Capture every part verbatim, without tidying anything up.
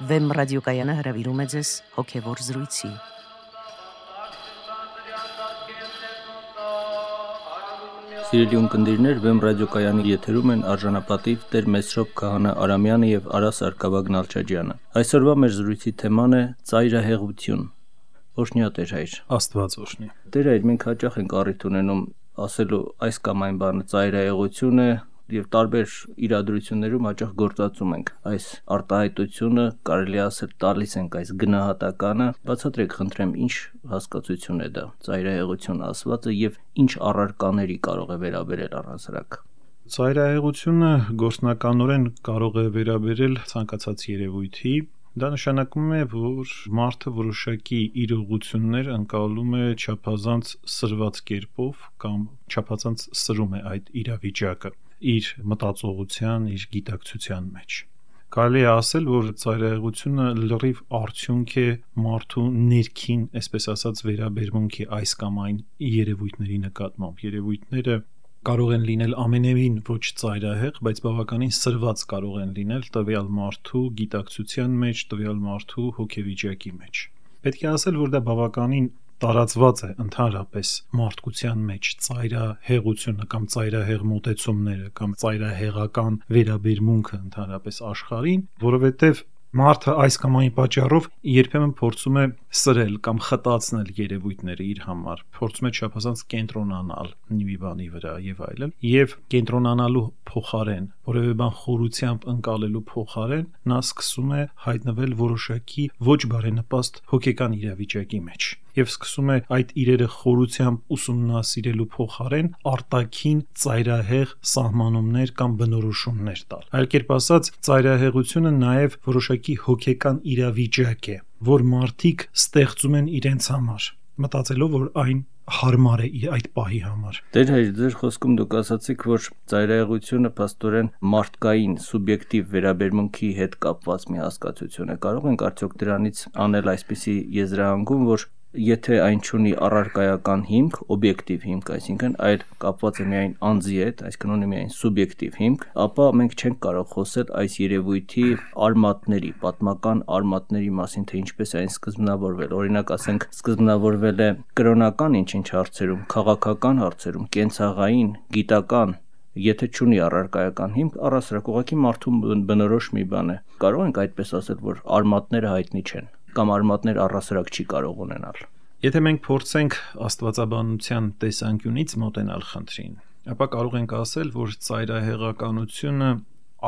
Վեմ ռադիոկայանը հրավիրում է ձեզ հոգևոր զրույցի։ Սիրելի ունկնդիրներ, Վեմ ռադիոկայանի եթերում են արժանապատիվ Տեր Մեսրոպ Քահանա Արամյանը եւ Արա Սարգսակյան Նալչաջյանը։ Այսօրվա մեր զրույցի թեման է ծայրահեղություն։ Օրհնյա Տեր հայր։ Աստված օրհնի։ Տեր հայր, մենք հաճախ ենք առիթ ունենում ասելու այս կամ այն բանը ծայրահեղություն է եւ տարբեր իրադրություններում հաճախ գործածում ենք այս արտահայտությունը, կարելի ասել տալիս ենք այս գնահատականը։ Բացատրեք, խնդրեմ, ինչ հասկացություն է դա ծայրահեղություն ասվածը եւ ինչ առարկաների կարող է վերաբերել առհասարակ։ Ծայրահեղությունը գործնականորեն կարող է վերաբերել ցանկացած երևույթի։ Դա նշանակում է, որ մարդը որոշակի իրողություններ ընկալում է չափազանց սրված կերպով կամ չափազանց սրում է այդ իրավիճակը իր մտածողության, իր գիտակցության մեջ։ Կարելի է ասել, որ ծայրահեղությունը լրիվ արդյունք է մարդու ներքին, այսպես ասած, վերաբերմունքի այս կամ այն երևույթների նկատմամբ։ Երևույթները կարող են լինել ամենևին ոչ ծայրահեղ, բայց բավականին սրված կարող են լինել տվյալ մարդու գիտակցության մեջ, տվյալ մարդու հոգեվիճակի մեջ։ Պետք է ասել, որ դա բավականին տարածված է ընդհանրապես մարդկության մեջ ծայրահեղությունը կամ ծայրահեղ մոտեցումները կամ ծայրահեղական վերաբերմունքը ընդհանրապես աշխարհին, որովհետև մարդը այս կամ այն պատճառով երբեմն փորձում է սրել կամ խտացնել երևույթները իր համար, փորձում է չափազանց կենտրոնանալ մի բանի վրա եւ այլն, եւ կենտրոնանալու փոխարեն, որևէ բան խորությամբ ընկալելու փոխարեն, նա սկսում է հայտնվել որոշակի ոչ բարենպաստ հոգեկան իրավիճակի մեջ եւ սկսում է այդ իրերը խորությամբ ուսումնասիրելու փոխարեն արտաքին ծայրահեղ սահմանումներ կամ բնորոշումներ տալ։ Այլ կերպ ասած, ծայրահեղությունը նաեւ որոշակի հոգեկան իրավիճակ է, որ մարդիկ ստեղծում են իրենց համար, մտածելով, որ այն հարմար է այդ պահի համար։ Տեր հայր, ձեր խոսքում դուք ասացիք, որ ծայրահեղությունը փաստորեն մարդկային սուբյեկտիվ վերաբերմունքի հետ կապված մի հասկացություն է։ Կարող ենք արդյոք դրանից անել այսպիսի եզրահանգում, որ եթե այն չունի առարկայական հիմք, օբյեկտիվ հիմք, այսինքն այլ կապված է միայն անձի հետ, այսինքն ունի միայն սուբյեկտիվ հիմք, ապա մենք չենք կարող խոսել այս երևույթի արմատների, պատմական արմատների մասին, թե ինչպես է այն սկզբնավորվել։ Օրինակ, ասենք, սկզբնավորվել է կրոնական ինչ-ինչ հարցերում, քաղաքական հարցերում, կենցաղային, գիտական, եթե չունի առարկայական հիմք, առհասարակ ուղղակի մարդու բնորոշ մի բան է։ Կարող ենք այդպես ասել, որ արմատները հայտնի չեն կամ արմատներ առհասարակ չի կարող ունենալ։ Եթե մենք փորձենք աստվածաբանության տեսանկյունից մոտենալ խնդրին, ապա կարող ենք ասել, որ ծայրահեղականությունը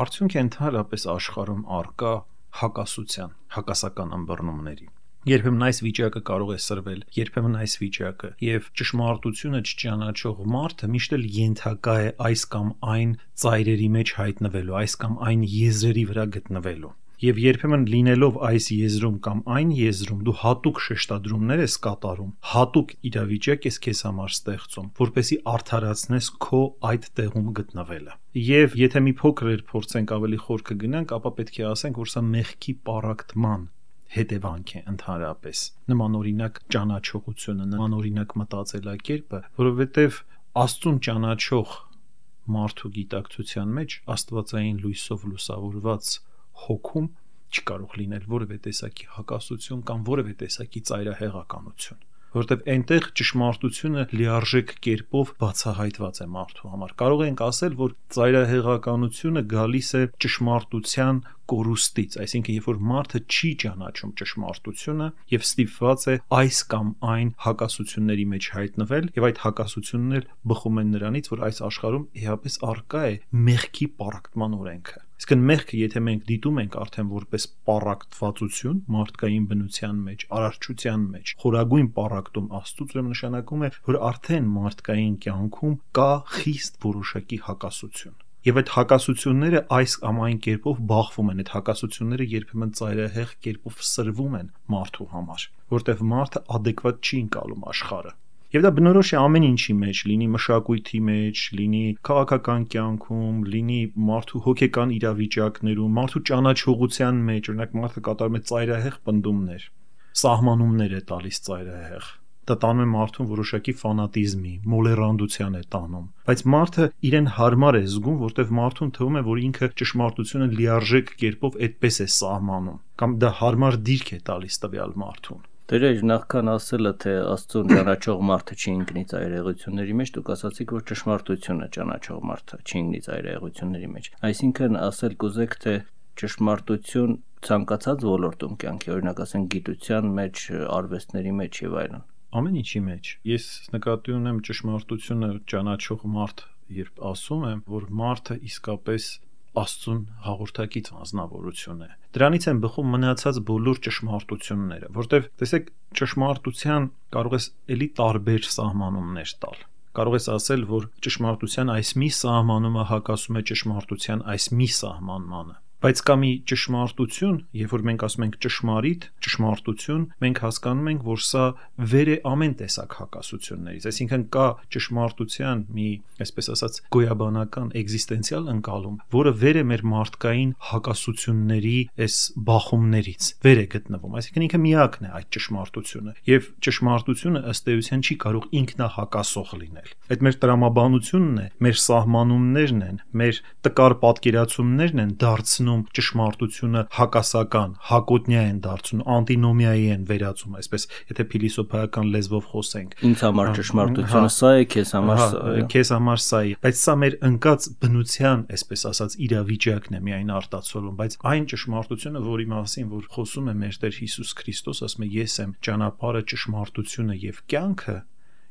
արդյունք է ընդհանրապես աշխարհում առկա հակասության, հակասական ըմբռնումների։ Երբեմն այս վիճակը կարող է սրվել, երբեմն այս վիճակը, եւ ճշմարտությունը չճանաչող մարդը միշտ էլ ենթակա է այս կամ այն ծայրերի մեջ հայտնվելու, այս կամ այն եզրերի վրա գտնվելու։ Եվ երբեմն լինելով այս եզրում կամ այն եզրում դու հատուկ շեշտադրումներ ես կատարում, հատուկ իրավիճակ ես քեզ համար ստեղծում, որպեսզի արդարացնես քո այդ տեղում գտնվելը։ Եվ եթե մի փոքր փորձենք ավելի խոր կգնանք, ապա պետք է ասենք, որ սա մեղքի պառակտման հետևանք է ընդհանրապես։ Նմանօրինակ ճանաչողությունը, նմանօրինակ մտածելակերպը, որովհետև Աստծուն ճանաչող մարդու գիտակցության մեջ աստվածային լույսով լուսավորված հոգում չի կարող լինել որևէ տեսակի հակասություն կամ որևէ տեսակի ծայրահեղականություն, որովհետև այնտեղ ճշմարտությունը լիարժեք կերպով բացահայտված է մարդու համար։ Կարող ենք ասել, որ ծայրահեղականությունը գալիս է ճշմարտության կորուստից, այսինքն երբ որ մարդը չի ճանաչում ճշմարտությունը եւ ստիպված է այս կամ այն հակասությունների մեջ հայտնվել, եւ այդ հակասությունն էլ բխում են նրանից, որ այս աշխարհում իհապես առկա է մեղքի պառակտման օրենքը։ Իսկ մեղքը, եթե մենք դիտում ենք արդեն որպես պառակտվածություն մարդկային բնության մեջ, արարչության մեջ, խորագույն պառակտում Աստծուց, ուրեմն նշանակում է, որ արդեն մարդկային կյանքում կա խիստ որոշակի հակասություն։ Եվ այդ հակասությունները այս կամ այն կերպով բախվում են, այդ հակասությունները երբեմն ծայրահեղ կերպով սրվում են մարդու համար, որտեղ մարդը adekvat չի ընկալում աշխարհը։ Եվ դա բնորոշ է ամեն ինչի մեջ, լինի մշակույթի մեջ, լինի քաղաքական կյանքում, լինի մարդու հոգեկան իրավիճակներում, մարդու ճանաչողության մեջ, օրինակ մարդը կատարում է ծայրահեղ պնդումներ, սահմանումներ է տալիս ծայրահեղ, դա տանում է մարդուն որոշակի ֆանատիզմի, մոլեռանդության է տանում, բայց մարդը իրեն հարմար է զգում, որտեղ մարդուն թվում է, որ ինքը ճշմարտությունը լիարժեք կերպով այդպես է սահմանում, կամ դա հարմար դիրք է տալիս տվյալ մարդուն։ Տերեր, նախքան ասելը, թե Աստծուն ճանաչող մարդը չի ընկնի ծայրահեղությունների մեջ, դուք ասացիք, որ ճշմարտությունը ճանաչող մարդը չի ընկնի ծայրահեղությունների մեջ։ Այսինքն ասել կուզեք, թե ճշմարտություն ցանկացած ոլորտում կյանքի, օրինակ ասենք գիտության մեջ, արվեստների մեջ եւ այլն։ Ամեն ինչի մեջ։ Ես նկատի ունեմ ճշմարտությունը ճանաչող մարդ, երբ ասում եմ, որ մարդը իսկապես Աստծուն հաղորդակից անձնավորություն է։ Դրանից են բխում մնացած բոլոր ճշմարտությունները, որտեղ տեսեք ճշմարտության կարող ես էլի տարբեր սահմանումներ տալ։ Կարող ես ասել, որ ճշմարտության այս մի սահմանումը հակասում է ճշմարտության այս մի սահմանմանը։ Բայց կա մի ճշմարտություն, երբ որ մենք ասում ենք ճշմարիտ, ճշմարտություն, մենք հասկանում ենք, որ սա վեր է ամեն տեսակ հակասություններից, այսինքն կա ճշմարտության մի, այսպես ասած, գոյաբանական էգզիստենցիալ ընկալում, որը վեր է մեր մարդկային հակասությունների այս բախումներից, վեր է գտնվում, այսինքն ինքը միակն է այդ ճշմարտությունը, եւ ճշմարտությունը ըստ էության չի կարող ինքնահակասող լինել։ Այդ մեր տրամաբանությունն է, մեր սահմանումներն են, մեր տկար պատկերացումներն են դարձնում ճշմարտությունը հակասական, հակոտնյա են դարձնում, անտինոմիայի են վերածում, այսպես, եթե փիլիսոփայական լեզվով խոսենք։ Ինձ համար ճշմարտությունը սա է, քեզ համար սա է։ Քեզ համար սա է, բայց սա մեր ընկած բնության, այսպես ասած, իրավիճակն է միայն արտացոլում, բայց այն ճշմարտությունը, որի մասին որ խոսում է մեր Տեր Հիսուս Քրիստոս, ասում է ես եմ ճանապարհը, ճշմարտությունը եւ կյանքը,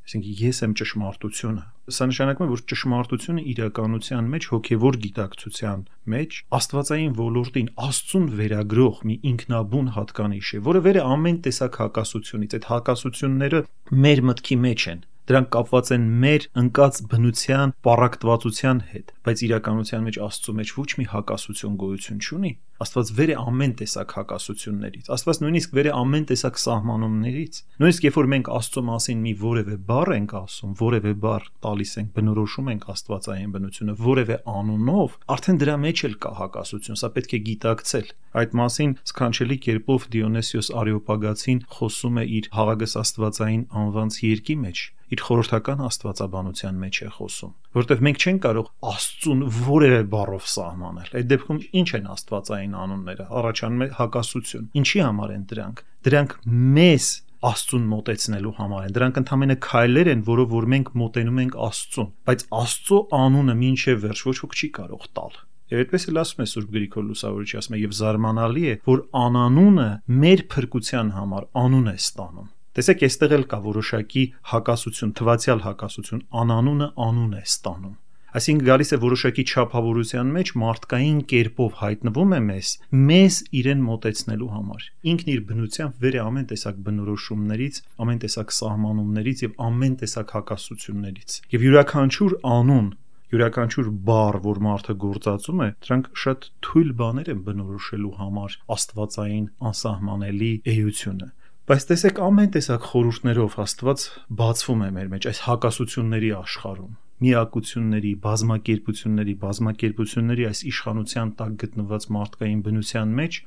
այսինքն ես եմ ճշմարտությունը։ Սա նշանակում է, որ ճշմարտությունը իրականության մեջ, հոգևոր գիտակցության մեջ աստվածային ոլորտին Աստծուն վերագրող մի ինքնաբուն հատկանիշ է, որը վեր է ամեն տեսակ հակասությունից։ Այդ հակասությունները մեր մտքի մեջ են, դրանք կապված են մեր ընկած բնության պառակտվածության հետ, բայց իրականության մեջ Աստծո մեջ ոչ մի հակասություն գոյություն չունի։ Աստված վեր է ամեն տեսակ հակասություններից, Աստված նույնիսկ վեր է ամեն տեսակ սահմանումներից։ Նույնիսկ երբ որ մենք Աստծո մասին մի որևէ բառ ենք ասում, որևէ բառ տալիս ենք, բնորոշում ենք աստվածային բնությունը որևէ անունով, արդեն դրա մեջ էլ կա հակասություն, սա պետք է գիտակցել։ Այդ մասին սքանչելի կերպով Դիոնեսիոս Արեոպագացին խոսում է իր Հաղագս Աստվածային անվանց երկի մեջ, իր խորհրդական աստվածաբանության մեջ է խոսում, որովհետև մենք չենք կարող Աստծուն որևէ բառով սահմանել։ Այդ դեպքում ինչ են աստվածային անունները, առաջանում է հակասություն։ Ինչի համար են դրանք։ Դրանք մեզ Աստծուն մոտեցնելու համար են։ Դրանք ընդհանրապես քայլեր են, որով որ մենք մոտենում ենք Աստծուն, բայց Աստծո անունը մինչև վերջ ոչ ոք չի կարող տալ։ Եվ այդպես էլ ասում է Սուրբ Գրիգոր Լուսավորիչը, ասում է եւ զարմանալի է, որ անանունը մեր փրկության համար անուն է ստանում։ Տեսեք, այստեղ էլ կա որոշակի հակասություն, թվացial հակասություն, անանունը անուն է ստանում։ Այսինքն գալիս է որոշակի չափավորության մեջ մարդկային կերպով հայտնվում է մեզ, մեզ իրեն մոտեցնելու համար։ Ինքն իր բնությամբ վեր է ամեն տեսակ բնորոշումներից, ամեն տեսակ սահմանումներից եւ ամեն տեսակ հակասություններից։ Եվ յուրաքանչյուր անուն, յուրաքանչյուր բառ, որ մարդը գործածում է, դրանք շատ թույլ բաներ են բնորոշելու համար աստվածային անսահմանելի էությունը։ Բայց տեսեք, ամեն տեսակ խորհուրդներով Աստված բացվում է մեր մեջ այս հակասությունների աշխարհում, միակությունների, բազմակերպությունների, բազմակերպությունների այս իշխանության տակ գտնված մարդկային բնության մեջ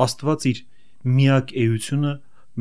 Աստված իր միակ էությունը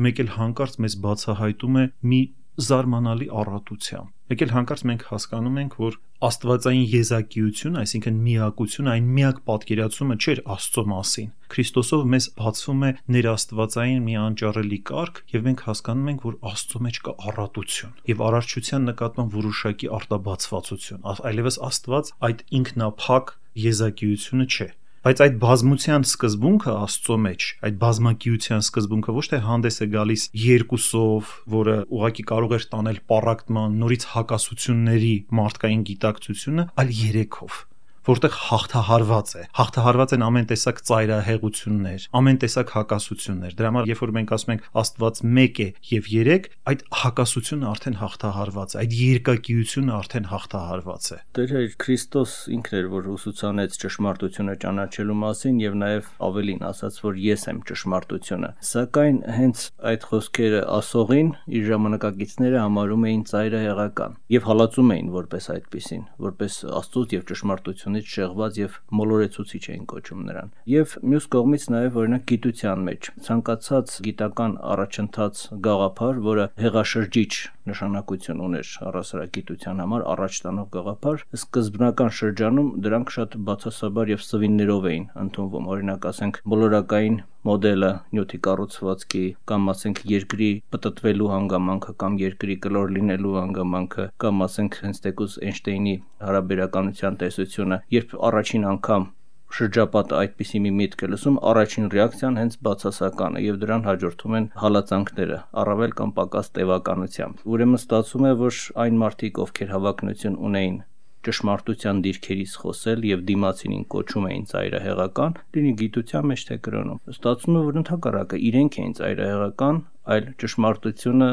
մեկ էլ հանկարծ մեզ բացահայտում է մի զարմանալի առատությամբ։ Մեկ էլ հանկարծ մենք հասկանում ենք, որ աստվածային եզակիությունը, այսինքն միակությունը, այն միակ պատկերացումը չէր Աստծո մասին։ Քրիստոսով մեզ բացվում է ներաստվածային մի անճարելի կարգ, եւ մենք հասկանում ենք, որ Աստծո մեջ կա առատություն եւ արարչության նկատմամբ որոշակի արտաբացվածություն։ Այլևս Աստված այդ ինքնափակ եզակիությունը չէ։ Բայց այդ բազմության սկզբունքը Աստծո մեջ, այդ բազմակիության սկզբունքը ոչ թե հանդես է գալիս երկուսով, որը ուղղակի կարող էր տանել պառակտման, նորից հակասությունների մարդկային գիտակցությունը, այլ երեքով, որտեղ հաղթահարված է, հաղթահարված են ամեն տեսակ ծայրահեղություններ, ամեն տեսակ հակասություններ։ Դրա համար, երբ որ մենք ասում ենք Աստված մեկ է եւ երեք, այդ հակասությունը արդեն հաղթահարված է, այդ երկակիությունը արդեն հաղթահարված է։ Տեր Քրիստոս ինքն էր, որ ուսուցանեց ճշմարտությունը ճանաչելու մասին եւ նաեւ ավելին ասաց, որ ես եմ ճշմարտությունը։ Սակայն հենց այդ խոսքերը ասողին իր ժամանակակիցները համարում էին ծայրահեղական եւ հալածում էին որպես այդպիսին, որպես Աստծո եւ ճշմարտություն կրոնից շեղված եւ մոլորեցուցիչ էին կոչում նրան։ Եվ մյուս կողմից նաեւ օրինակ գիտության մեջ ցանկացած գիտական առաջընթաց գաղափար, որը հեղաշրջիչ նշանակություն ուներ առասարակ գիտության համար, առաջ տանող գաղափար, սկզբնական շրջանում դրանք շատ բացասաբար եւ սվիններով էին ընդունվում։ Օրինակ ասենք մոլորակային մոդելը, նյութի կառուցվածքի կամ ասենք երկրի պտտվելու հանգամանքը կամ երկրի կլոր լինելու հանգամանքը կամ ասենք հենց տեկուս Էյնշտեյնի հարաբերականության տեսությունը, երբ առաջին անգամ շրջապատը այդպիսի մի միտք է լսում, առաջին ռեակցիան հենց բացասական է եւ դրան հաջորդում են հալածանքները, առավել կամ պակաս տևականությամբ։ Ուրեմն ստացվում է, որ այն մարդիկ, ովքեր հավակնություն ունեին ճշմարտության դիրքերից խոսել եւ դիմացինին կոչում էին ծայրահեղական, լինի գիտության մեջ թե կրոնում։ Ստացվում է, որ ընդհակառակը իրենք էին ծայրահեղական, այլ ճշմարտությունը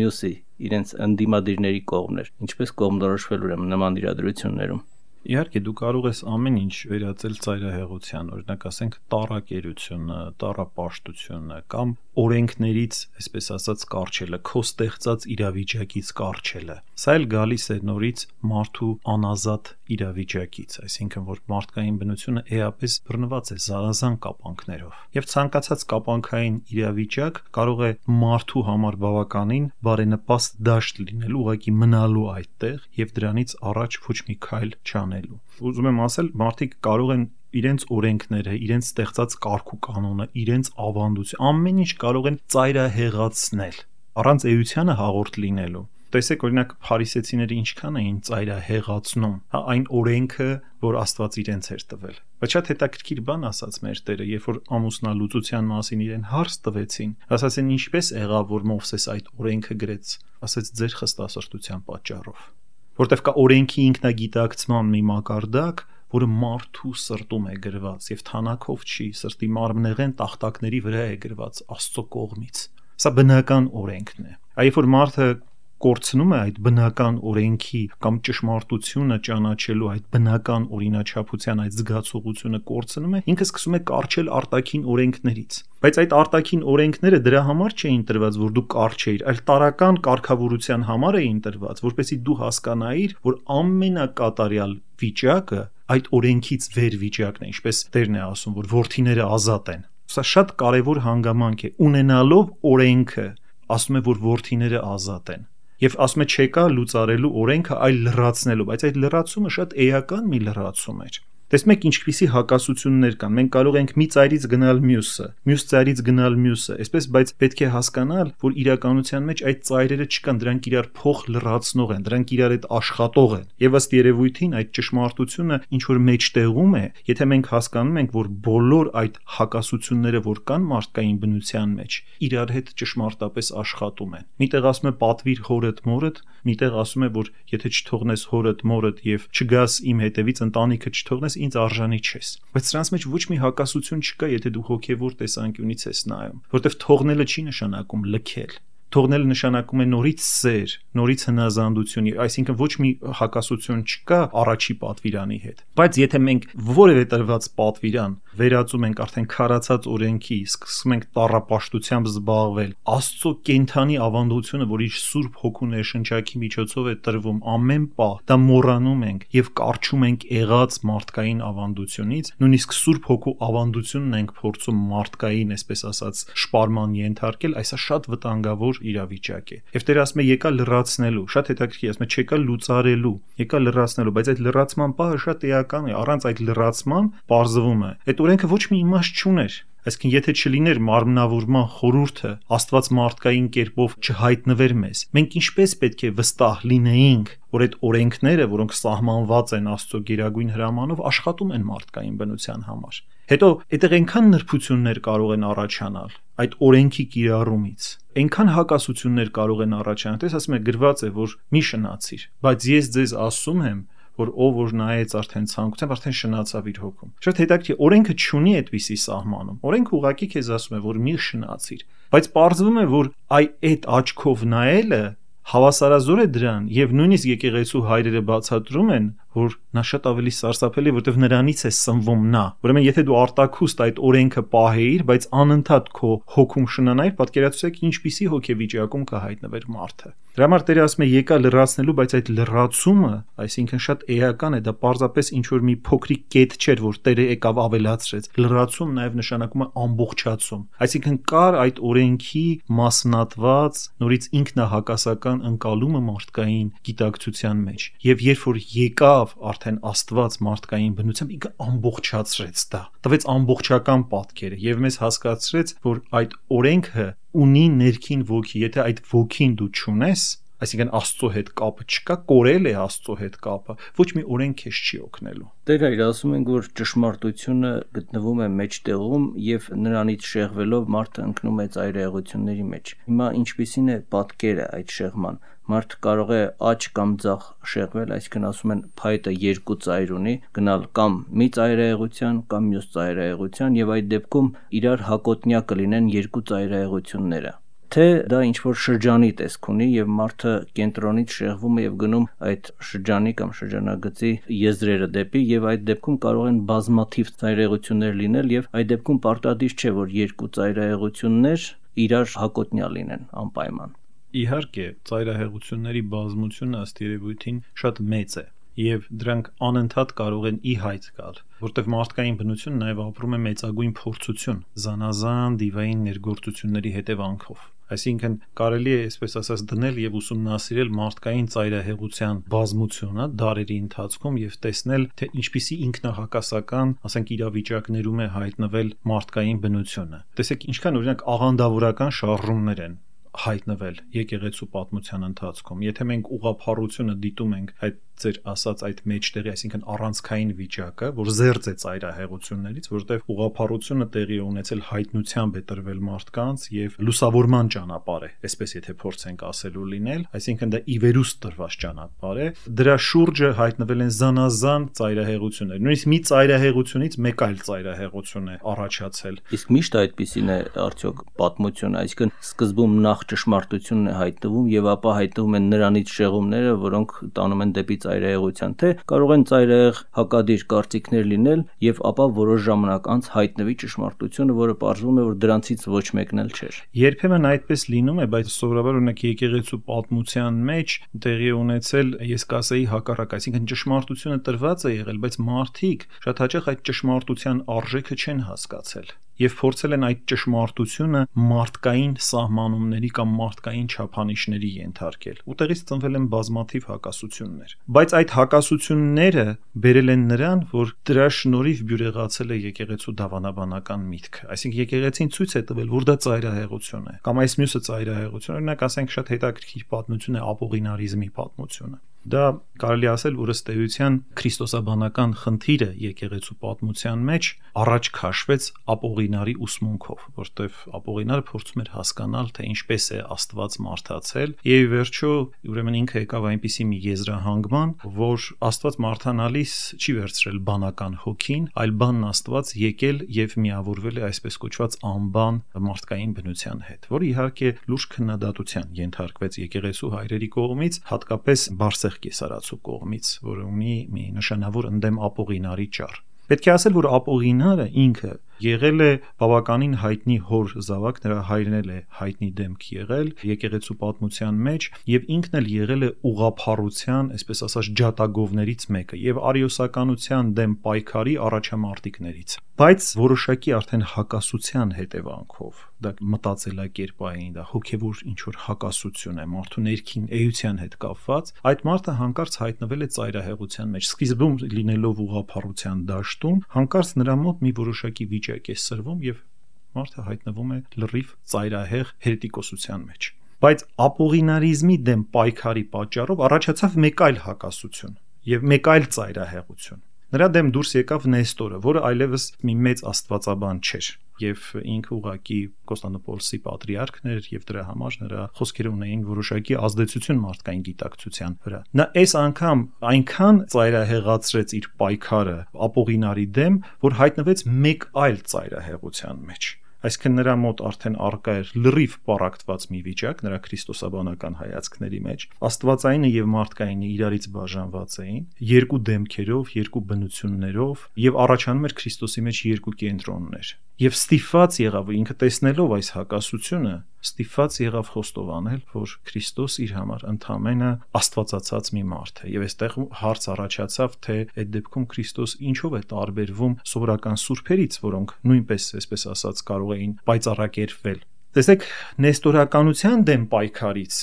մյուսի, իրենց ընդդիմադիրների կողմն էր։ Ինչպես կողմնորոշվել ուրեմն նման իրադրություններում։ Իհարկե դու կարող ես ամեն ինչ վերածել ծայրահեղության, օրինակ ասենք տառակերությունը, տառապաշտությունը կամ օրենքներից, այսպես ասած, կարճելը, քո ստեղծած իրավիճակից կարճելը։ Սա էլ գալիս է նորից մարդու անազատ իրավիճակից, այսինքն որ մարդկային բնությունը էապես բռնված է զանազան կապանքներով։ Եվ ցանկացած կապանքային իրավիճակ կարող է մարդու համար բավականին բարենպաստ դաշտ լինել, ուղղակի մնալու այդտեղ եւ դրանից առաջ ոչ մի քայլ չանելու։ Ուզում եմ ասել, մարդիկ կարող են իրենց օրենքները, իրենց ստեղծած կարգ ու կանոնը, իրենց ավանդություն, ամեն ինչ կարող են ծայրահեղացնել, առանց էությանը հաղորդ լինելու։ Տեսեք, օրինակ փարիսեցիները ինչքան էին ծայրահեղացնում, հա, այն օրենքը, որ Աստված իրենց էր տվել։ Բայց շատ հետաքրքիր բան ասաց մեր Տերը, երբ որ ամուսնալուծության մասին իրեն հարց տվեցին, ասացին ինչպես եղավ, որ Մովսես այդ օրենքը գրեց, ասաց ձեր խստասրտության պատճառով, որտեվ կա օրենքի ինքնագիտակցման մի մակարդակ, որը մարդու սրտում է գրված եւ թանակով չի, սրտի մարմնեղեն տախտակների վրա է գրված Աստծո կողմից։ Սա բնական օրենքն է։ Այլ որ մարդը կորցնում է այդ բնական օրենքի կամ ճշմարտությունը ճանաչելու այդ բնական օրինաչափության այդ զգացողությունը կորցնում է, ինքը սկսում է կարճել արտաքին օրենքներից։ Բայց այդ արտաքին օրենքները դրա համար չէին տրված, որ դու կարճեիր, այլ տարական կարգավորության համար էին տրված, որպեսզի դու հասկանայիր, որ ամենակատարյալ վիճակը այդ օրենքից վեր վիճակն է, ինչպես Տերն է ասում, որ որդիները ազատ են։ Սա շատ կարևոր հանգամանք է, ունենալով օրենքը, ասում է, որ որդիները ազատ են։ Եվ ասում է չեկա լուծարելու օրենքը, այլ լրացնելու, բայց այդ լրացումը շատ էական մի լրացում էր։ Տեսնում եք ինչպիսի հակասություններ կան։ Մենք կարող ենք մի ծայրից գնալ մյուսը, մյուս ծայրից գնալ մյուսը, այսպես, բայց պետք է հասկանալ, որ իրականության մեջ այդ ծայրերը չկան, դրանք իրար փոխ լրացնող են, դրանք իրար հետ աշխատող են։ Եվ ըստ երևույթին այդ ճշմարտությունը ինչ որ մեջտեղում է, եթե մենք հասկանում ենք, որ բոլոր այդ հակասությունները, որ կան մարդկային բնության մեջ, իրար հետ ճշմարտապես աշխատում են։ Միտեղ ասում է պատվիր հորդ մորդ, միտեղ ասում է, որ եթե չթողնես հորդ մորդ եւ չգաս իմ հետևից, ընտանիքը չթողնես, ինձ արժանի չես։ Բայց սրանց մեջ ոչ մի հակասություն չկա, եթե դու հոգևոր տեսանկյունից ես նայում, որովհետև թողնելը չի նշանակում լքել։ Թողնելը նշանակում է նորից սեր, նորից հնազանդություն, այսինքն ոչ մի հակասություն չկա առաջի պատվիրանի հետ։ Բայց եթե մենք որևէ տրված պատվիրան վերածում ենք արդեն քարացած օրենքի, սկսում ենք տառապաշտությամբ զբաղվել, Աստծո կենթանի ավանդությունը, որ իր Սուրբ Հոգու ներշնչակի միջոցով է տրվում ամեն պահ, դա մոռանում ենք եւ կարճում ենք եղած մարդկային ավանդությունից, նույնիսկ Սուրբ Հոգու ավանդությունն ենք փորձում մարդկային, այսպես ասած, շպարման ենթարկել, այսա շատ վտանգավոր իրավիճակ է։ Եվ Տերը ասում է եկա լրացնելու, շատ հետաքրքիր, ասում է չեկա լուծարելու, եկա լրացնելու, բայց այդ լրացման պահը շատ էական է, առանց այդ լրացման պարզվում է։ Այդ օրենքը ոչ մի իմաստ չուներ։ Այսինքն եթե չլիներ մարմնավորման խորհուրդը, Աստված մարդկային կերպով չհայտնվեր մեզ, մենք ինչպես պետք է վստահ լինեինք, որ այդ օրենքները, որոնք սահմանված են Աստծո գերագույն հրամանով, աշխատում են մարդկային բնության համար։ Հետո այդտեղ այնքան նրբություններ կարող են առաջանալ այդ օրենքի կիրառումից, այնքան հակասություններ կարող են առաջանալ, տես ասում է գրված է, որ մի շնացիր, բայց ես ձեզ ասում եմ, որ ով որ նայեց արդեն ցանկությամբ, արդեն շնացավ իր հոգում։ Շատ հետաքրքիր, օրենքը չունի այդպիսի սահմանում։ Օրենքը ուղղակի քեզ ասում է, որ մի շնացիր, բայց պարզվում է, որ այ այդ աչքով նայելը հավասարազոր է դրան, եւ նույնիսկ եկեղեցու հայրերը բացատրում են, որ նա շատ ավելի սարսափելի է, որտեղ նրանից է սնվում նա։ Ուրեմն եթե դու արտաքուստ այդ օրենքը պահեիր, բայց անընդհատ քո հոգում շնանայիր, պատկերացրեք ինչպիսի հոգեվիճակում կհայտնվեր մարդը։ Դրա համար Տերը ասում է եկա լրացնելու, բայց այդ լրացումը, այսինքն շատ էական է, դա պարզապես ինչ որ մի փոքրիկ կետ չէր, որ Տերը եկավ ավելացրեց։ Լրացում նաև նշանակում է ամբողջացում։ Այսինքն կար այդ օրենքի մասնատված, նորից ինքնահակասական ընկալումը մարդկային գիտակցության մեջ։ Եվ երբ որ եկավ արդեն Աստված մարդկային բնությամբ, ինքը ամբողջացրեց դա։ Տվեց ամբողջական պատկերը եւ մեզ հասկացրեց, որ այդ օրենքը ունի ներքին ոգի, եթե այդ ոգին դու չունես, այսինքն Աստծո հետ կապը չկա, կորել է Աստծո հետ կապը, ոչ մի օրենք քեզ չի օգնելու։ Տեր այր ասում ենք, որ ճշմարտությունը գտնվում է մեջտեղում եւ նրանից շեղվելով մարդը ընկնում է ծայրահեղությունների մեջ։ Հիմա ինչպիսին է պատկերը այդ շեղման։ Մարդ կարող է աջ կամ ձախ շեղվել, այսինքն ասում են փայտը երկու ծայր ունի, գնալ կամ մի ծայրահեղության կամ մյուս ծայրահեղության եւ այդ դեպքում իրար հակոտնյա կլինեն երկու ծայրահեղությունները։ Թե դա ինչ-որ շրջանի տեսք ունի եւ մարդը կենտրոնից շեղվում է եւ գնում այդ շրջանի կամ շրջանագծի եզրերը դեպի եւ այդ դեպքում կարող են բազմաթիվ ծայրահեղություններ լինել եւ այդ դեպքում պարտադիր չէ, որ երկու ծայրահեղություններ իրար հակոտնյա լինեն անպայման։ Իհարկե, ծայրահեղությունների բազմությունը ըստ երևույթին շատ մեծ է եւ դրանք անընդհատ կարող են ի հայտ գալ, որտեղ մարդկային բնությունը նաեւ ապրում է մեծագույն փորձություն, զանազան դիվային ներգործությունների հետևանքով։ Այսինքն կարելի է, այսպես ասած, դնել եւ ուսումնասիրել մարդկային ծայրահեղության բազմությունը դարերի ընթացքում եւ տեսնել, թե ինչպիսի ինքնահակասական, ասենք, իրավիճակներում է հայտնվել մարդկային բնությունը։ Տեսեք, ինչքան օրինակ աղանդավորական շարժումներ են հայտնվել եկեղեցու պատմության ընթացքում։ Եթե մենք ուղղափառությունը դիտում ենք այդ ձեր ասած այդ մեջտեղի, այսինքն առանցքային վիճակը, որ զերծ է ծայրահեղություններից, որովհետև ուղղափառությունը տեղի է ունեցել հայտնությամբ է տրվել մարդկանց եւ լուսավորման ճանապարհ է, այսպես եթե փորձենք ասելու լինել, այսինքն դա ի վերուստ տրված ճանապարհ է, դրա շուրջը հայտնվել են զանազան ծայրահեղություններ։ Նույնիսկ մի ծայրահեղությունից մեկ այլ ծայրահեղություն է առաջացել։ Իսկ միշտ այդպիսին է արդյոք պատմությունը, այսինքն սկզբում նախ ճշմարտությունն է հայտնվում եւ ապա հայտնվում են նրանից շեղումները, որոնք տանում են դեպի ծայրահեղության, թե կարող են ծայրահեղ հակադիր կարծիքներ լինել եւ ապա որոշ ժամանակ անց հայտնվի ճշմարտությունը, որը պարզվում է, որ դրանցից ոչ մեկն էլ չէր։ Երբեմն այդպես լինում է, բայց սովորաբար օրինակ եկեղեցու պատմության մեջ տեղի ունեցել, ես կասեի հակառակ, այսինքն ճշմարտությունը տրված է եղել, բայց մարդիկ շատ հաճախ այդ ճշմարտության արժեքը չեն հասկացել եւ փորձել են այդ ճշմարտությունը մարդկային սահմանումների կամ մարդկային չափանիշների ենթարկել։ Ուտեղից ծնվել են բազմաթիվ հակասություններ։ Բայց այդ հակասությունները բերել են նրան, որ դրա շնորհիվ բյուրեղացել է եկեղեցու դավանաբանական միտքը։ Այսինքն եկեղեցին ցույց է տվել, որ դա ծայրահեղություն է, կամ այս մյուսը ծայրահեղություն, օրինակ ասենք շատ հետաքրքիր պատմություն է ապողինարիզմի պատմությունը։ Դա կարելի ասել, որ ըստ էության քրիստոսաբանական խնդիրը եկեղեցու պատմության մեջ առաջ քաշվեց ապողինարի ուսմունքով, որտեղ ապողինարը փորձում էր հասկանալ, թե ինչպես է Աստված մարդացել, եւ վերջո ուրեմն ինքը եկավ այնպիսի մի եզրահանգման, որ Աստված մարդանալիս չի վերցրել բանական հոգին, այլ բանն Աստված եկել եւ միավորվել է այսպես կոչված անբան մարդկային բնության հետ, որը իհարկե լուրջ քննադատության ենթարկվեց եկեղեցու հայրերի կողմից, հատկապես Բարսեղ կեսարացու կողմից, որը ունի մի նշանավոր ընդդեմ ապողինարի ճառ։ Պետք է ասել, որ ապողինարը ինքը եղել է բավականին հայտնի հոր զավակ, նրա հայրն էլ է հայտնի դեմք եղել եկեղեցու պատմության մեջ եւ ինքն էլ եղել է ուղղափառության, այսպես ասած, ջատագովներից մեկը եւ արիոսականության դեմ պայքարի առաջամարտիկներից։ Բայց որոշակի արդեն հակասության հետևանքով, դա մտածելակերպային, դա հոգեվոր ինչ որ հակասություն է մարդու ներքին էության հետ կապված, այդ մարդը հանկարծ հայտնվել է ծայրահեղության մեջ, սկիզբում լինելով ուղղափառության դաշտում, հանկարծ նրա մոտ մի որոշակի վիճակ է սրվում եւ մարդը հայտնվում է լրիվ ծայրահեղ հերետիկոսության մեջ։ Բայց ապողինարիզմի դեմ պայքարի պատճառով առաջացավ մեկ այլ հակասություն եւ մեկ այլ ծայրահեղություն։ Նրա դեմ դուրս եկավ Նեստորը, որը այլևս մի մեծ աստվածաբան չէր եւ ինքը ուղղակի Կոստանդնուպոլսի պատրիարքն էր եւ դրա համար նրա խոսքերը ունեին որոշակի ազդեցություն մարդկային գիտակցության վրա։ Նա այս անգամ այնքան ծայրահեղացրեց իր պայքարը ապողինարի դեմ, որ հայտնվեց մեկ այլ ծայրահեղության մեջ։ Այսինքն նրա մոտ արդեն առկա էր լրիվ պառակտված մի վիճակ նրա քրիստոսաբանական հայացքների մեջ։ Աստվածայինը եւ մարդկայինը իրարից բաժանված էին երկու դեմքերով, երկու բնություններով եւ առաջանում էր Քրիստոսի մեջ երկու կենտրոններ։ Եվ ստիփված եղավ ինքը տեսնելով այս հակասությունը, ստիփված եղավ խոստովանել, որ Քրիստոս իր համար ընդամենը աստվածացած մի մարդ է։ Եվ այստեղ հարց առաջացավ, թե այդ դեպքում Քրիստոս ինչով է տարբերվում սովորական սուրբերից, որոնք նույնպես, այսպես ասած, կարող էին պայծառակերպվել։ Տեսեք, նեստորականության դեմ պայքարից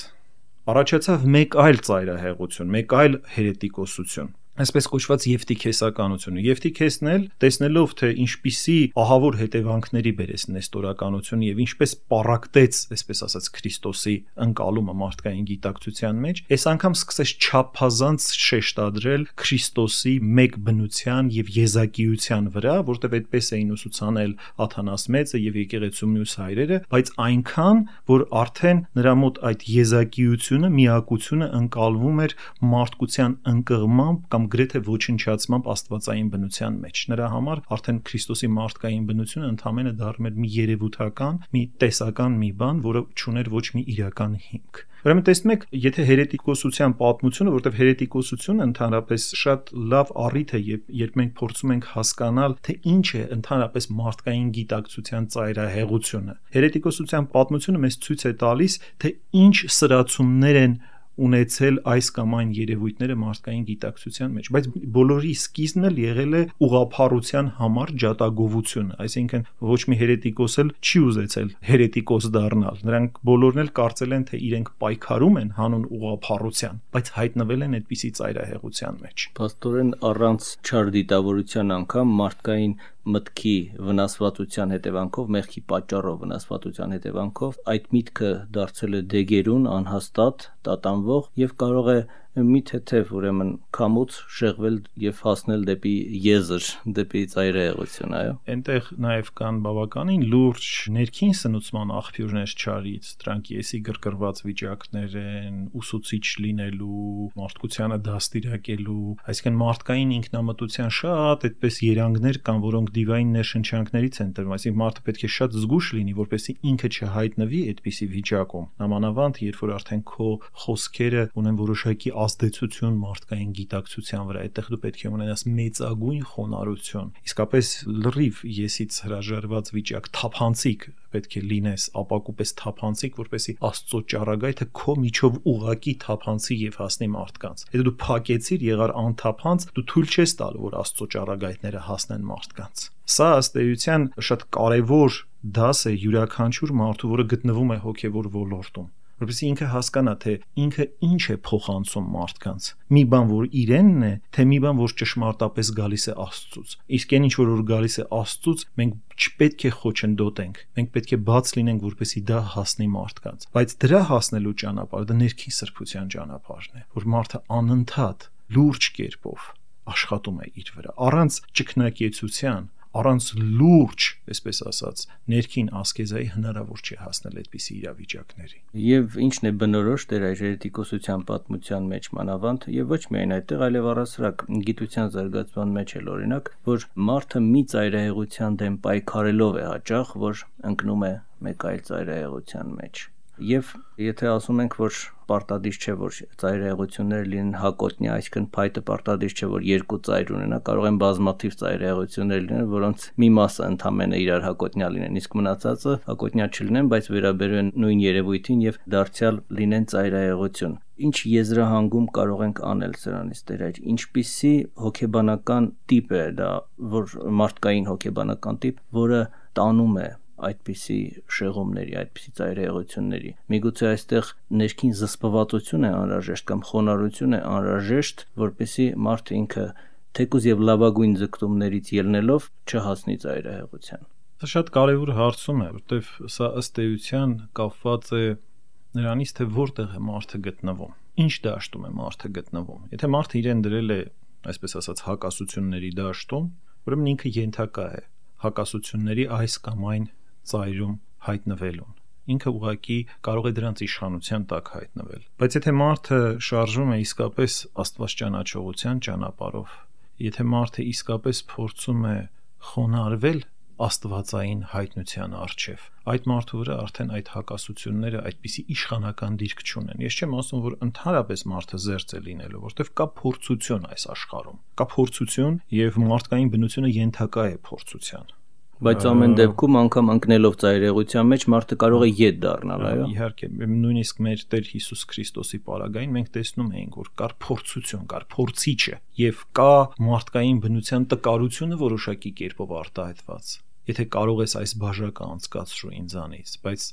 առաջացավ մեկ այլ ծայրահեղություն, մեկ այլ հերետիկոսություն, այսպես կոչված եվտիքեսականությունը։ Եվտիքեսն էլ տեսնելով, թե ինչպիսի ահավոր հետևանքների բերեց նեստորականությունը եւ ինչպես պառակտեց, այսպես ասած, Քրիստոսի ընկալումը մարդկային գիտակցության մեջ, այս անգամ սկսեց չափազանց շեշտադրել Քրիստոսի մեկ բնության եւ եզակիության վրա, որտեղ այդպես էին ուսուցանել Աթանաս Մեծը եւ եկեղեցու մյուս հայրերը, բայց այնքան, որ արդեն նրա մոտ այդ եզակիությունը, միակությունը ընկալվում էր մարդկության ընկղմամբ կամ գրեթե ոչնչացմամբ աստվածային բնության մեջ։ Նրա համար արդեն Քրիստոսի մարդկային բնությունը ընդամենը դառնում էր մի երևութական, մի տեսական մի բան, որը չուներ ոչ մի իրական հիմք։ Ուրեմն տեսնում եք, եթե հերետիկոսության պատմությունը, որտեղ հերետիկոսությունը ընդհանրապես շատ լավ առիթ է, երբ մենք փորձում ենք հասկանալ, թե ինչ է ընդհանրապես մարդկային գիտակցության ծայրահեղությունը։ Հերետիկոսության պատմությունը մեզ ցույց է տալիս, թե ինչ սրացումներ են ունեցել այս կամ այն երևույթները մարդկային գիտակցության մեջ, բայց բոլորի սկիզբն էլ եղել է ուղղափառության համար ջատագովությունը, այսինքն ոչ մի հերետիկոս էլ չի ուզեցել հերետիկոս դառնալ, նրանք բոլորն էլ կարծել են, թե իրենք պայքարում են հանուն ուղղափառության, բայց հայտնվել են այդպիսի ծայրահեղության մեջ։ Պաստորեն առանց չար դիտավորության անգամ մարդկային մտքի վնասվածության հետևանքով, մեղքի պատճառով վնասվածության հետևանքով այդ միտքը դարձել է դեգերուն, անհաստատ, տատանվող եւ կարող է մի թեթև ուրեմն քամուց շեղվել եւ հասնել դեպի եզր, դեպի ծայրահեղություն, այո։ Այնտեղ նաեւ կան բավականին լուրջ ներքին սնուցման աղբյուրներ չարից, դրանք եսի գրգռված վիճակներ են, ուսուցիչ լինելու, մարդկությանը դաստիարակելու, այսինքն մարդկային ինքնամտության շատ այդպես երանգներ կան, որոնք դիվային ներշնչանքներից են տրվում, այսինքն մարդը պետք է շատ զգուշ լինի, որպեսզի ինքը չհայտնվի այդպիսի վիճակում։ Նամանավանդ, երբ որ արդեն քո խոսքերը ունեն որոշակի ազդեցություն մարդկային գիտակցության վրա, այդտեղ դու պետք է ունենաս մեծագույն խոնարհություն։ Իսկապես լրիվ եսից հրաժարված վիճակ, թափանցիկ պետք է լինես, ապակուպես թափանցիկ, որպեսզի Աստծո ճառագայթը քո միջով ուղակի թափանցի եւ հասնի մարդկանց։ Եթե դու փակեցիր, եղար անթափանց, դու թույլ չես տալու, որ Աստծո ճառագայթները հասնեն մարդկանց։ Սա ըստ էության շատ կարևոր դաս է յուրաքանչյուր մարդու, որը գտնվում է հոգեվոր ոլորտում, որպեսզի ինքը հասկանա, թե ինքը ինչ է փոխանցում մարդկանց։ Մի բան, որ իրենն է, թե մի բան, որ ճշմարտապես գալիս է Աստծուց։ Իսկ այն ինչ որ որ գալիս է Աստծուց, մենք չպետք է խոչընդոտենք։ Մենք պետք է բաց լինենք, որպեսզի դա հասնի մարդկանց։ Բայց դրա հասնելու ճանապարհը դա ներքին սրբության ճանապարհն է, որ մարդը անընդհատ լուրջ կերպով աշխատում է իր վրա, առանց ճկնակեցության, առանց լուրջ, այսպես ասած, ներքին ասկեզայի հնարավոր չէ հասնել այդպիսի իրավիճակների։ Եվ ինչն է բնորոշ Տեր հերետիկոսության պատմության մեջ մանավանդ, եւ ոչ միայն այդտեղ, այլև առասարակ գիտության զարգացման մեջ էլ օրինակ, որ մարդը մի ծայրահեղության դեմ պայքարելով է հաճախ, որ ընկնում է մեկ այլ ծայրահեղության մեջ։ Եվ եթե ասում ենք, որ պարտադիր չէ, որ ծայրահեղությունները լինեն հակոտնյա, այսինքն փայտը պարտադիր չէ, որ երկու ծայր ունենա, կարող են բազմաթիվ ծայրահեղություններ լինել, որոնց մի մասը ընդամենը իրար հակոտնյա լինեն, իսկ մնացածը հակոտնյա չլինեն, բայց վերաբերում են նույն երևույթին եւ դարձյալ լինեն ծայրահեղություն։ Ինչ եզրահանգում կարող ենք անել սրանից, Տեր հայր, ինչպիսի հոգեբանական տիպ է դա, որ մարդկային հոգեբանական տիպ, որը տանում է այդպիսի շեղումների, այդպիսի ծայրահեղությունների։ Միգուցե այստեղ ներքին զսպվածություն է անհրաժեշտ կամ խոնարհություն է անհրաժեշտ, որպեսզի մարդը ինքը թեկուզ եւ լավագույն ձգտումներից ելնելով չհասնի ծայրահեղության։ Սա շատ կարևոր հարցում է, որտեվ սա ըստ էության կապված է նրանից, թե որտեղ է մարդը գտնվում, ինչ դաշտում է մարդը գտնվում։ Եթե մարդը իրեն դրել է, այսպես ասած, հակասությունների դաշտում, ուրեմն ինքը ենթակա է հակասությունների այս կամ այն ծայրում հայտնվելուն։ Ինքը ուղղակի կարող է դրանց իշխանության տակ հայտնվել։ Բայց եթե մարդը շարժվում է իսկապես Աստված ճանաչողության ճանապարհով, եթե մարդը իսկապես փորձում է խոնարհվել աստվածային հայտնության առջև։ Այդ մարդու վրա արդեն այդ հակասությունները այդպիսի իշխանական դիրք չունեն։ Ես չեմ ասում, որ ընդհանրապես մարդը զերծ է լինելու, որտեղ կա փորձություն այս աշխարհում։ Կա փորձություն եւ մարդկային բնությունը ենթակա է փորձության։ Բայց ամեն դեպքում անգամ ընկնելով ծայրեղության մեջ մարդը կարող է ետ դառնալ, այո։ Իհարկե, նույնիսկ մեր Տեր Հիսուս Քրիստոսի պարագային մենք տեսնում էինք, որ կար փորձություն, կար փորձիչը եւ կա մարդկային բնության տկարությունը որոշակի կերպով արտահայտված։ Եթե կարող ես այս բաժակը անցկացրու ինձանից, բայց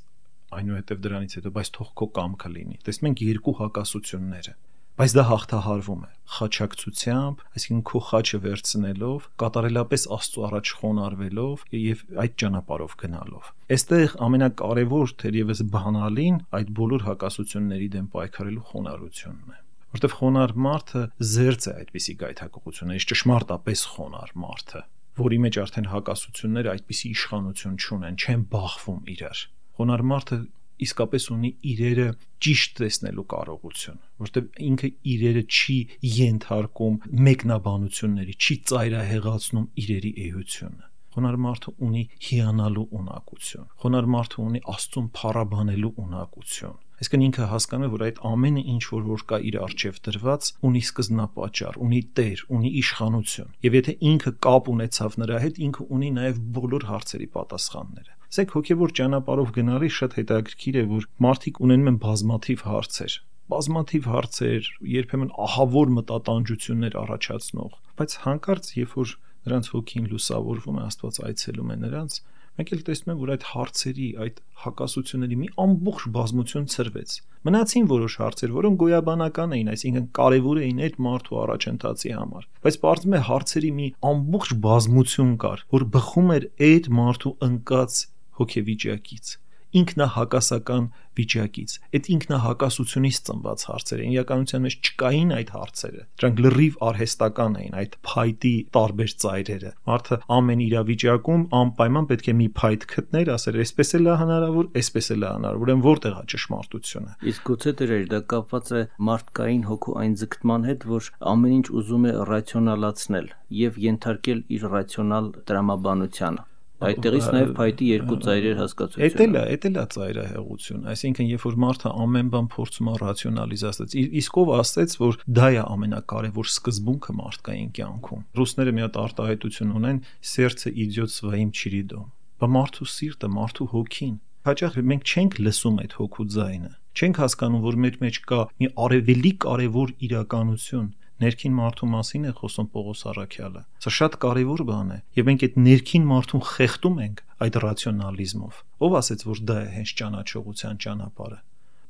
այնուհետև դրանից հետո բայց թող քո կամքը լինի։ Տեսնում ենք երկու հակասությունները։ Բայց դա հաղթահարվում է խաչակցությամբ, այսինքն քո խաչը վերցնելով, կատարելապես Աստծո առաջ խոնարհվելով եւ այդ ճանապարհով գնալով։ Այստեղ ամենակարևոր թերևս բանալին այդ բոլոր հակասությունների դեմ պայքարելու խոնարհությունն է, որտեղ խոնարհ մարդը զերծ է այդպիսի գայթակղություններից, ճշմարտապես խոնարհ մարդը, որի մեջ արդեն հակասությունները այդպիսի իշխանություն չունեն, չեն բախվում իրար։ Խոնարհ մարդը իսկապես ունի իրերը ճիշտ տեսնելու կարողություն, որտեղ ինքը իրերը չի ենթարկում մեկնաբանությունների, չի ծայրահեղացնում իրերի էությունը։ Խոնարհ մարդը ունի հիանալու ունակություն, խոնարհ մարդը ունի Աստծուն փառաբանելու ունակություն։ Այսինքն ինքը հասկանում է, որ այդ ամենը ինչ որ որ կա իր առջև դրված, ունի սկզբնապատճառ, ունի տեր, ունի իշխանություն։ Եվ եթե ինքը կապ ունեցավ նրա հետ, ինքը ունի նաև բոլոր հարցերի պատասխանները։ Ասեք հոգևոր ճանապարհով գնալիս շատ հետաքրքիր է, որ մարդիկ ունենում են բազմաթիվ հարցեր, բազմաթիվ հարցեր, երբեմն ահավոր մտատանջություններ առաջացնող, բայց հանկարծ երբ որ նրանց հոգին լուսավորվում է, Աստված այցելում է նրանց, մենք էլ տեսնում ենք, որ այդ հարցերի, այդ հակասությունների մի ամբողջ բազմություն ցրվեց։ Մնացին որոշ հարցեր, որոնք գոյաբանական էին, այսինքն կարևոր էին այդ մարդու առաջընթացի համար, բայց պարզվում է հարցերի մի ամբողջ բազմություն կար, որ բխում էր այդ մարդու ընկած հոգեվիճակից, ինքնահակասական վիճակից, այդ ինքնահակասությունից ծնված հարցեր էին, իրականության մեջ չկային այդ հարցերը, դրանք լրիվ արհեստական էին, այդ փայտի տարբեր ծայրերը, մարդը ամեն իրավիճակում անպայման պետք է մի փայտ գտներ, ասել այսպես էլ է հնարավոր, այսպես էլ է հնարավոր, ուրեմն որտեղ է ճշմարտությունը։ Իսկ գուցե դեր դա կապված է մարդկային հոգու այն ձգտման հետ, որ ամեն ինչ ուզում է ռացիոնալացնել եւ ենթարկել իր ռացիոնալ տրամաբանությանը։ Այդտեղից նաև փայտի երկու ծայրեր հասկացությունը։ Էդ էլ է, էդ էլ է ծայրահեղություն, այսինքն երբ որ մարդը ամեն բան փորձում է ռացիոնալիզացնել, իսկ ով ասեց, որ դա է ամենակարևոր սկզբունքը մարդկային կյանքում։ Ռուսները մի հատ արտահայտություն ունեն՝ «Սերդցը իդիոտ своим чередом»։ Բա մարդու սիրտը, մարդու հոգին։ Հաճախ մենք չենք լսում այդ հոգու ձայնը։ Չենք հասկանում, որ մեր մեջ կա մի արևելի կարևոր իրականություն։ Ներքին մարդու մասին է խոսում Պողոս առաքյալը։ Սա շատ կարևոր բան է, եւ մենք այդ ներքին մարդուն խեղդում ենք այդ ռացիոնալիզմով։ Ով ասեց, որ դա է հենց ճանաչողության ճանապարհը։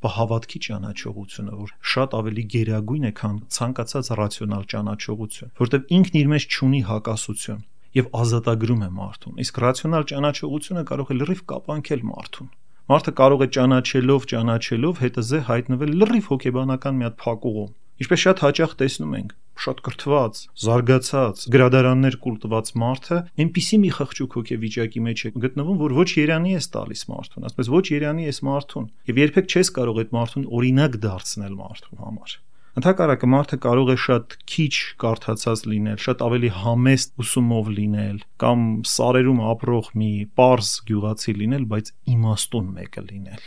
Բա հավատքի ճանաչողությունը, որ շատ ավելի գերագույն է, քան ցանկացած ռացիոնալ ճանաչողություն, որտեղ ինքն իր մեջ չունի հակասություն եւ ազատագրում է մարդուն։ Իսկ ռացիոնալ ճանաչողությունը կարող է լրիվ կապանքել մարդուն։ Մարդը կարող է ճանաչելով, ճանաչելով հետզե հայտնվել լրիվ հոգեբանական մի հատ փակուղում։ Ինչպես շատ հաճախ տեսնում ենք, շատ կրթված, զարգացած, գրադարաններ կուլտված մարդը այնպիսի մի խղճուկ հոգեվիճակի մեջ է գտնվում, որ ոչ երանի ես տալիս մարդուն, ասես ոչ երանի ես մարդուն, եւ երբեք չես կարող այդ մարդուն օրինակ դարձնել մարդու համար։ Ընդհակառակը մարդը կարող է շատ քիչ կարդացած լինել, շատ ավելի համեստ ուսումով լինել, կամ սարերում ապրող մի պարզ գյուղացի լինել, բայց իմաստուն մեկը լինել,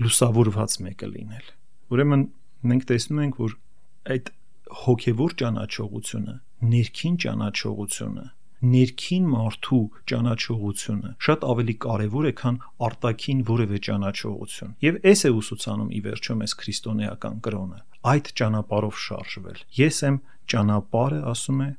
լուսավորված մեկը լինել։ Ուրեմն մենք տեսնում ենք, որ այդ հոգևոր ճանաչողությունը, ներքին ճանաչողությունը, ներքին մարդու ճանաչողությունը շատ ավելի կարևոր է, քան արտաքին որևէ ճանաչողություն։ Եվ այս է ուսուցանում ի վերջո մեզ քրիստոնեական կրոնը, այդ ճանապարհով շարժվել։ Ես եմ ճանապարհը, ասում է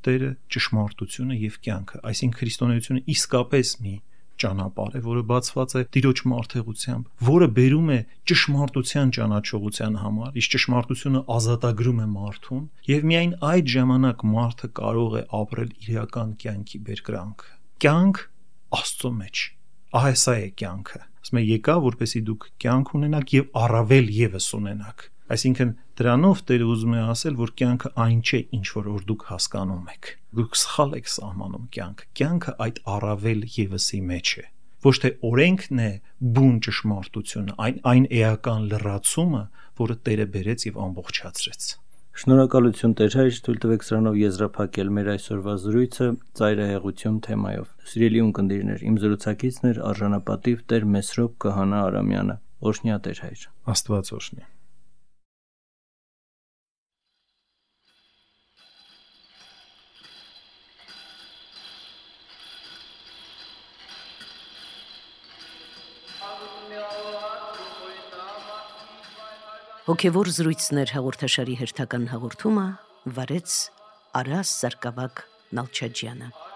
Տերը, ճշմարտությունը եւ կյանքը, այսինքն քրիստոնեությունը իսկապես մի ճանապարհ է, որը բացված է Տիրոջ մարդեղությամբ, որը բերում է ճշմարտության ճանաչողության համար, իսկ ճշմարտությունը ազատագրում է մարդուն, եւ միայն այդ ժամանակ մարդը կարող է ապրել իրական կյանքի բերկրանքը։ Կյանք Աստծո մեջ։ Ահա սա է կյանքը։ Ասում է եկա, որպեսզի դուք կյանք ունենաք եւ առավել եւս ունենաք։ Այսինքն դրանով Տերը ուզում է ասել, որ կյանքը այն չէ, ինչ որ որ դուք հասկանում եք։ Դուք սխալ եք սահմանում կյանքը։ Կյանքը այդ առավել եւսի մեջ է։ Ոչ թե օրենքն է բուն ճշմարտությունը, այն այն էական լրացումը, որը Տերը բերեց եւ ամբողջացրեց։ Շնորհակալություն Տեր հայր, թույլ տվեք սրանով եզրափակել մեր այսօրվա զրույցը ծայրահեղություն թեմայով։ Սիրելի ունկնդիրներ, իմ զրուցակիցն էր արժանապատիվ Տեր Մեսրոպ Քահանա Արամյանը։ Օրհնյա Տեր հայր։ Աստված օրհնի։ Հոգևոր զրույցներ հաղորդաշարի հերթական հաղորդումը վարեց Արաս Սարգսակ Նալչաջյանը։